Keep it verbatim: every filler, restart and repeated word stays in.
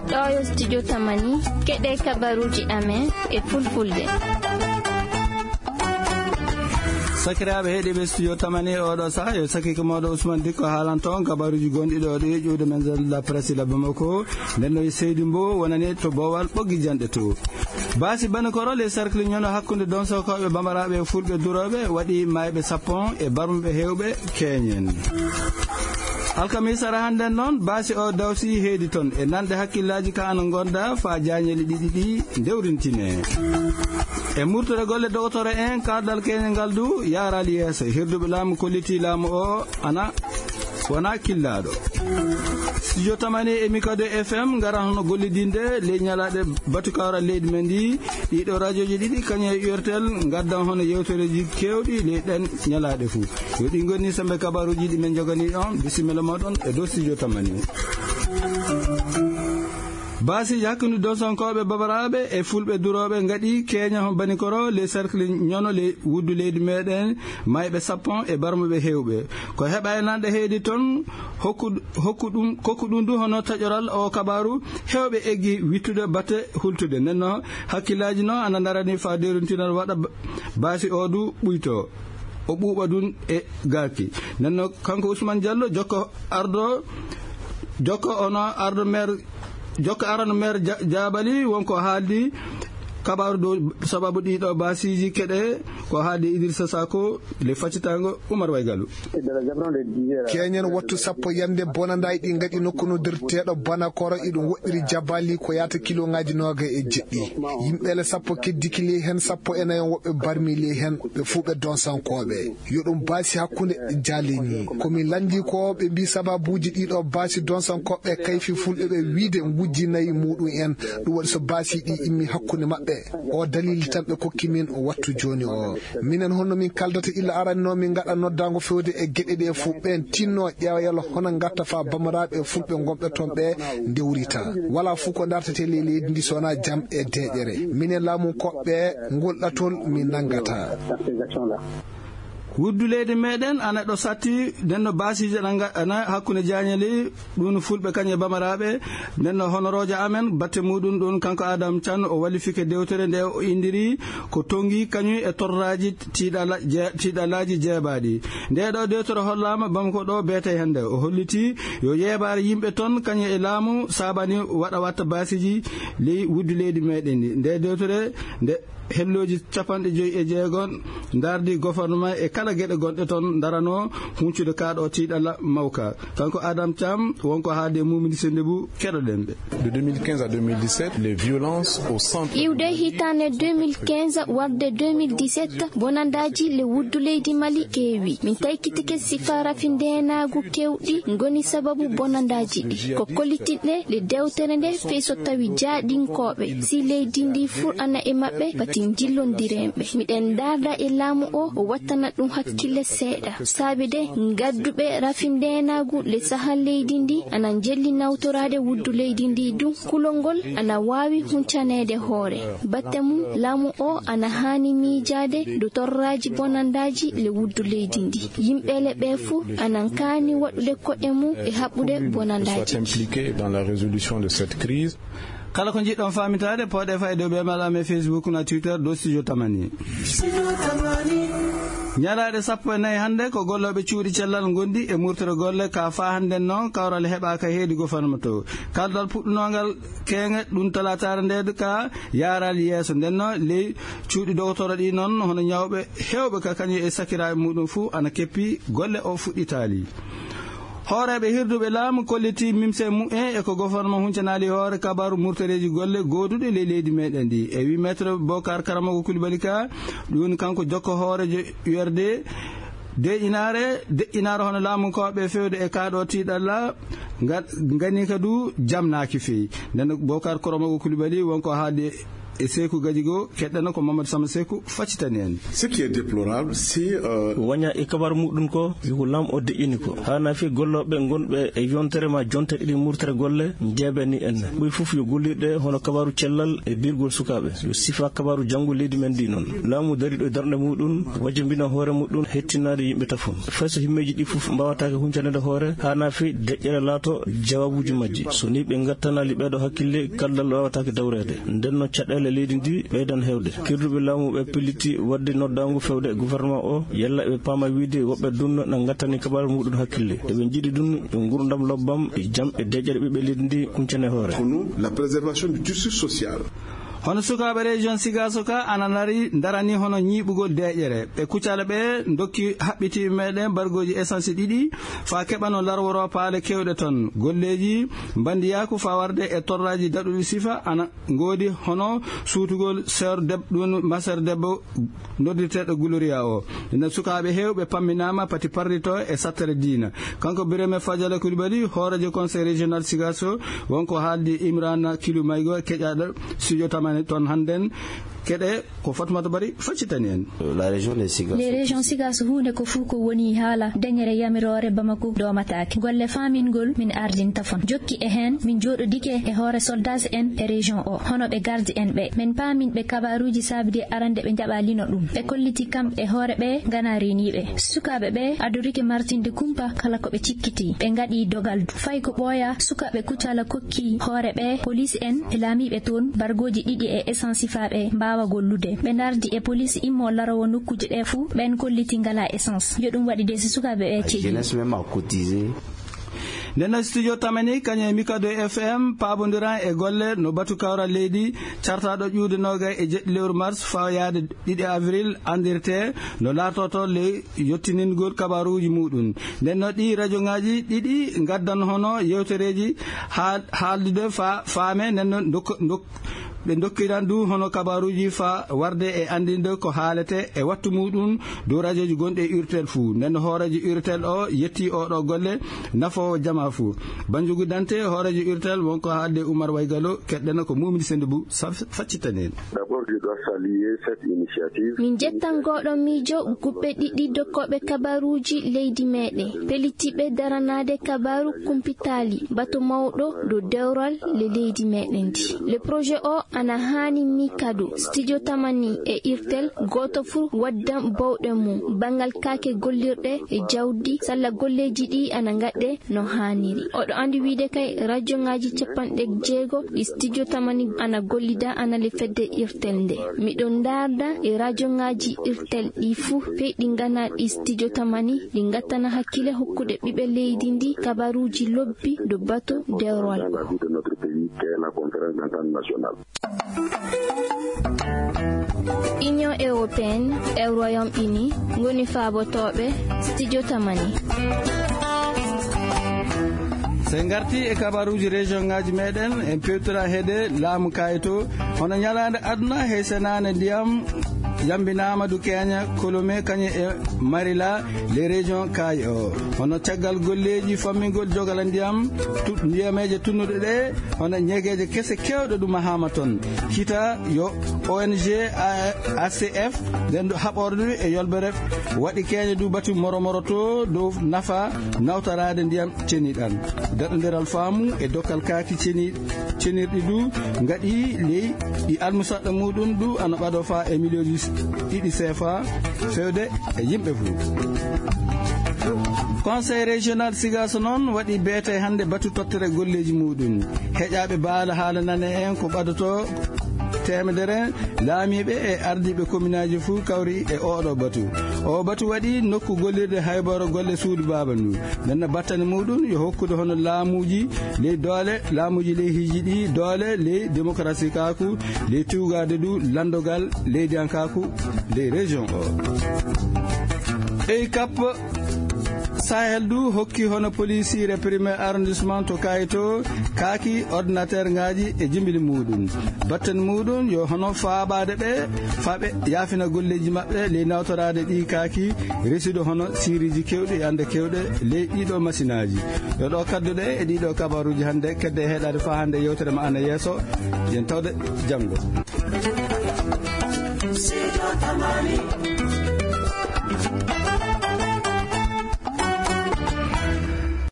Ɗo yo studio Tamani, keɗe kabaruji amen e fulfulde. Sakiraaɓe heɗiiɓe studio Tamani, oɗo saha yo sakike moɗo Ousmane Dikko haalanto on kabaruji gonɗi ɗo ɗi ƴuwde men zone de la presse la Bamako. Nden no e Seydi Mbow wonani to Bowal ɓoggi janɗe to. Baasi Banikoro, les cercles ñono hakkunde Donsokooɓe, Bambaraɓe e Fulɓe Durooɓe waɗi mayɓe sappo e barmuɓe hewɓe keñen. Alkamisa ara hannden noon, baasi o dawsi heedi toon e nanɗe hakkillaaji ka ana ngonda fa jaañeli ɗiɗi ɗi ndewrintine. E murtore golle dogotoro en, kardal keñe ngal du yaaraali yeeso. Hirduɓe laamu kolliti laamu o ana wona killaaɗo. Studio Tamani e Mikado F M ngara hono gollidinde ley ñalaaɗe batukawra leydi men ndi. Ɗiɗo rajoji ɗiɗi kañum e U R T L ngaddan hono yewtereji kewɗi ley ɗen ñalaaɗe fuu. Yo ɗi ngoni sembe kabaruji ɗi men jogani on. Bisimilla moɗon e dow studio Tamani. Baasiji hakkunde Donsonkooɓe Babaraɓe e Fulɓe Durooɓe ngaɗi keña ho Banikoro, les cercles ñono le wuddu leydi meɗen, mayɓe sappo e barmuɓe hewɓe. Ko heɓa e nanɗe heedi toon, hokku, hokku ɗum, kokku ɗum du hono taƴoral o kabaru, hewɓe eggi wittude batte hultude. Nden no hakkillaaji no ana ndarani fa deruntinal waɗa ba-, baasi o du ɓuyto. O ɓuuɓa dun e gaaki. Nden no kanko Ousmane Diallo jokko ardo, jokko ono ardo maire, jokko arano maire Ja-, Jaabali wonko haaldi kabaru dow sababu ɗiɗo baasiji keɗe ko haaldi Idrissa Sako le faccitango Oumar Waygalu. Keñen wattu sappo yande bonandaay ɗi ngaɗi nokku noddirteeɗo Banakoro, iɗum woɗɗiri Jabali ko yaata kiloŋaaji noogay e jeɗɗi. Yimɓe le sappo keddiki ley hen, sappo e nayo woɓɓe barmi ley hen, ɓe fuu ɓe Donsankooɓe. Yo ɗum baasi hakkunde jaalini. Ko min lanndi ko ɓe mbi sababuuji ɗiɗo baasi Donsankooɓe kayfi fulɓe ɓe wiide ngujji nayi muɗum en. Ɗum waɗi so baasi ɗi immi hakkunde maɓɓe. O dalili tan ɓe kokki min wattu jooni o. Minen honno min kaldata illa arani no min ngaɗa noddaango fewde e geɗe ɗe fof. Ɓen tinno ƴeewa yalla hono ngatta fa bamaraɓe e fulɓe gonɓe toon ɓe ndewrita. Wala fof ko dartete ley leydi ndi so wona jam e deeƴere. Minen laamu koɓɓe ngol ɗatol min nanngata. Wuddu leydi meɗen ana ɗo satti, nden no baasiji ana nga-, ana hakkunde jaañeli, ɗum no fulɓe kañum e bamaraɓe. Nden no honoroojo amen, batte muɗum ɗum, kanko Adam Can, o wallifike dewtere nde o indiri ko tongi kañum e torraji tiiɗala-, je-, tiiɗalaji jeebaɗi. Nde ɗo dewtere hollama Bamako ɗo beete hende. O holliti yo yeebaare yimɓe toon kañum e laamu saabani waɗa watta baasiji ley wuddu leydi meɗen ndi. Nde dewtere nde Hellooji capanɗe joyi e jeego ndaardi gouvernement e kala geɗe gonɗe toon ndarano huncude kaaɗo tiiɗalla mawka. Kanko Adam Thiam wonko haalde e Mumini Sendebou, keɗoɗen ɓe. De deux mille quinze à deux mille dix-sept, les violences au centre. Iwde hitaande deux mille quinze warde deux mille dix-sept, bonandaaji le wuddu leydi Mali keewi. Min taykitike sifa rafi ndeenaagu kewɗi ngoni sababu bonandaaji ɗi. Ko kollitinɗe le dewtere nde fey so tawi jaaɗinkooɓe si leydi ndi fur ana e maɓɓe pati njillondirenɓe. Miɗen ndaarda e laamu o, o wattana ɗum hakkille seeɗa. Saabi de ngadduɓe rafi ndeenaagu le saha leydi ndi ana njelli nawtoraade wuddu leydi ndi ɗum. Kulol ngol ana waawi huncaneede hoore. Batte mum laamu o ana haani miijaade dow torraaji bonandaaji le wuddu leydi ndi. Yimɓe le ɓe fuu ana kaani waɗude koɗe mum e haɓɓude bonandaaji. Soit impliqué dans la résolution de cette crise. Kala ko njiɗɗon faamintaade, pooɗe fayde ɓe mala amen Facebook na Twitter dow Studio Tamani. Ñalaaɗe sappo e nayi hannde ko gollooɓe cuuɗi cellal ngondi e murtere golle ka faa hannde noon kawral heɓaaka heedi gouvernement to. Kaldal puɗɗunongal keeŋe ɗum talaataare nde ka yaaral yeeso. Nden no ley cuuɗi dogotoro ɗi noon hono ñawɓe heewɓe ka kañum e sakiraaɓe muɗum fuu ana keppi golle o fuɗɗitaali. Hooreeɓe hirduɓe laamu kolliti mimse mumen e ko gouvernement huncanaali hoore kabaru murtoreeji golle gooduɗe ley leydi meɗen ndi. E wi Maître Bokar Karamoko Coulibaly ka, ɗum woni kanko jokko hooreejo U R D, deƴƴinaare, deƴƴinaare hono laamunkooɓe fewde e kaaɗo tiiɗalla, nga-, ngani ka du jamnaaki feyi. Nden Bokar Karamoko Coulibaly wonko haalde E Seeku Gajigo, keɗɗana ko Mamadou Sama Seeku faccitani en. Ce qui est déplorable, c'est, euh, Waña e kabar muɗum ko, yo ko lam o deƴƴini ko. Hana fi gollooɓe gonɓe e yontere ma jonte ɗiɗi murtere golle, njeeɓani en. Ɓuri fof yo gollirɗe hono kabaru cellal e birgol sukaaɓe. Yo sifa kabaru janngo leydi men ndi noon. Laamu dariɗo e darnde muɗum, wajambina hoore muɗum, hettinaade yimɓe tafon. Fay so himmeeji ɗi fof mbawataake huncanede hoore, hana fi deƴƴere laato jawaabuuji majji. So ni ɓe ngattanaali ɓeeɗo hakkille, kaldal wawataake dawreede. Nden no caɗeele leydi ndi ɓeydan heewde. Kirduɓe laamu ɓe pelliti waɗde noddaangu fewde e gouvernement o, yalla ɓe paama wiide woɓɓe ɗum na ngattani kabaru muɗum hakkille. Eɓe njiɗi ɗum yo ngurdam lobbam e jam e deƴƴere ɓiɓɓe leydi ndi kuncane hoore. Pour nous, la préservation du tissu social. Hono sukaaɓe région Sigaso ka ana nari darani hono ñiiɓugol deƴƴere. Ɓe kucala ɓe ndokki haɓɓitiiɓe meɗen bargooji essence ɗiɗi faa keɓano larworo paale kewɗe ton. Golleeji mbandiyaaku faa warde e torraaji daɗuɗi sifa ana ngoodi hono suutugol sœur deb-, ɗum ma sœur debbo noddirteeɗo Gloria o. Ina sukaaɓe heewɓe pamminaama pati parrito e sattere diina. Kanko Birame Fadiala Coulibaly, hooreejo conseil régional Sigaso, wonko haaldi Imrana Kilu Maygo, keƴaaɗo studio Tamani toon hannden. Keɗe ko Fatmata Bari faccitani en. La région de Sigaso. Les régions Sigaso huunde ko fuu ko woni haala dañere yamiroore Bamako doomataake. Golle faamingol min ardinta fon. Jokki e heen, min jooɗodike e hoore soldats en e région o, hono ɓe garde en ɓe. Min paamin ɓe kabaruuji saabide arande ɓe njaɓa lino ɗum. Ɓe kolliti kam e hoore ɓe ngana reeniiɓe. Sukaaɓe ɓe adorike martinde kumpa kala ko ɓe cikkiti. Ɓe ngaɗi dogal du. Fay ko ɓooya, sukaaɓe Kucala kokki hoore ɓe, police en e laamiiɓe toon, bargooji ɗiɗi e essence faa ɓe mbaawa gollude. Ɓe ndardi e police immo larowo nokkuuje ɗe fuu, ɓen kolliti ngala essence. Yo ɗum waɗi de si sukaaɓe ɓe cegi. Jeunesse même a cotisé. Nden no studio Tamani, kañum e Mikado F M, paabondiran e golle no batu kawral leydi, cartaaɗo ƴuwde noogay e jeɗɗi lewru mars fawayaade ɗiɗi avril, anndirte no laartoto ley yottiningol kabaruuji muɗum. Nden no ɗi rajoŋaaji ɗiɗi ngaddan hono yewtereeji haa-, haaldude fa-, faame, nden no ndokk-, ndokk-, ɓe ndokkiran du hono kabaruuji fa warde e anndinde ko haalete e wattu muɗum dow rajoji gonɗi e urtel fuu. Nden no hooreejo urtel o yetti oɗo golle nafoowo jama fuu. Banjugu Dante, hooreejo urtel, wonko haalde Umar Waygalo, keɗɗeno ko Mumini Sendubu sa-, faccitani en. D'abord, je dois saluer cette initiative. Min jettan ngoɗo miijo guɓɓe ɗiɗi dokkooɓe kabaruuji leydi meɗen, pellitiiɓe daranaade kabaru kumpitaali, bato mawɗo dow dewral le leydi meɗen ndi. Le projet o ana haani mi kadu. Studio Tamani e irtel gooto fuu waddan bawɗe mum. Banngal kaake gollirɗe e jawdi, salla golleeji ɗi ana ngaɗe no haaniri. Oɗo anndi wiide kay rajoŋaaji capanɗe jeego ɗi studio Tamani ana gollida ana le fedde irtel nde. Miɗo ndaarda e rajoŋaaji irtel ɗi fuu, fey ɗi ngana ɗi studio Tamani, ɗi ngattana hakkile hokkude ɓiɓɓe leydi ndi kabaruuji lobbi do bato dewrol. Dans la vie de notre pays, qui est la conférence d'entente nationale. Union européenne e Royaume-Uni ngoni faabotooɓe studio Tamani. So en ngarti e kabaruuji région ŋaaji meɗen, en pewtira heede laamu kayto, hono ñalaande aduna he senaande ndiyam yambinaama du Kenya, Kolome, kañum e Marila, les régions kaayi o. Hono caggal golleeji fammingol jogala ndiyam, tu-, ndiyameeje tunnuɗe ɗe, hono ñegeeje kese kewɗe ɗum mahaama toon. Kita yo O N G A-, A C F, nden ɗo haɓorde e yolbere, waɗi keñe du batu moro moro to dow nafa nawtaraade ndiyam ceniɗan. Daɗondiral faamu e dokkal kaaki ceni-, cenirɗi du ngaɗi ley ɗi almusaɗɗo muɗum du ana ɓado fa e miliyonji ɗiɗi sefa fewde e yimɓe fuu. Conseil régional Sigaso noon waɗi beete hannde batu tottere golleeji muɗum. Heƴaaɓe baala haala nane en ko ɓadoto teemedere laamiiɓe e ardiiɓe kominaaji fuu kawri e oɗo batu. O batu waɗi nokku gollirde hayboro golle suudu baaba ndu. Nden no battane muɗum yo hokkude hono laamuuji ley doole, laamuuji ley hiiji ɗi doole, ley démocratie kaaku, ley tuugaade du lanndogal leydiyankaaku ley région o. Ey kappo. Sahel du hokki hono polisiire premier arrondissement to Kayto kaaki ordinateur ngaji e jimbili muɗum. Batten muɗum yo hono faabaade ɓe, faaɓe yaafina golleji maɓɓe ley nawtoraade ɗi kaaki, residu hono siriji kewɗi e ande kewɗe ley ɗiɗo masinaaji. Yo ɗo kadduɗe e ɗiɗo kabaruji hannde, kedde e heɗaade faa hannde yewtere ma ana yeeso. Yen tawde janngo.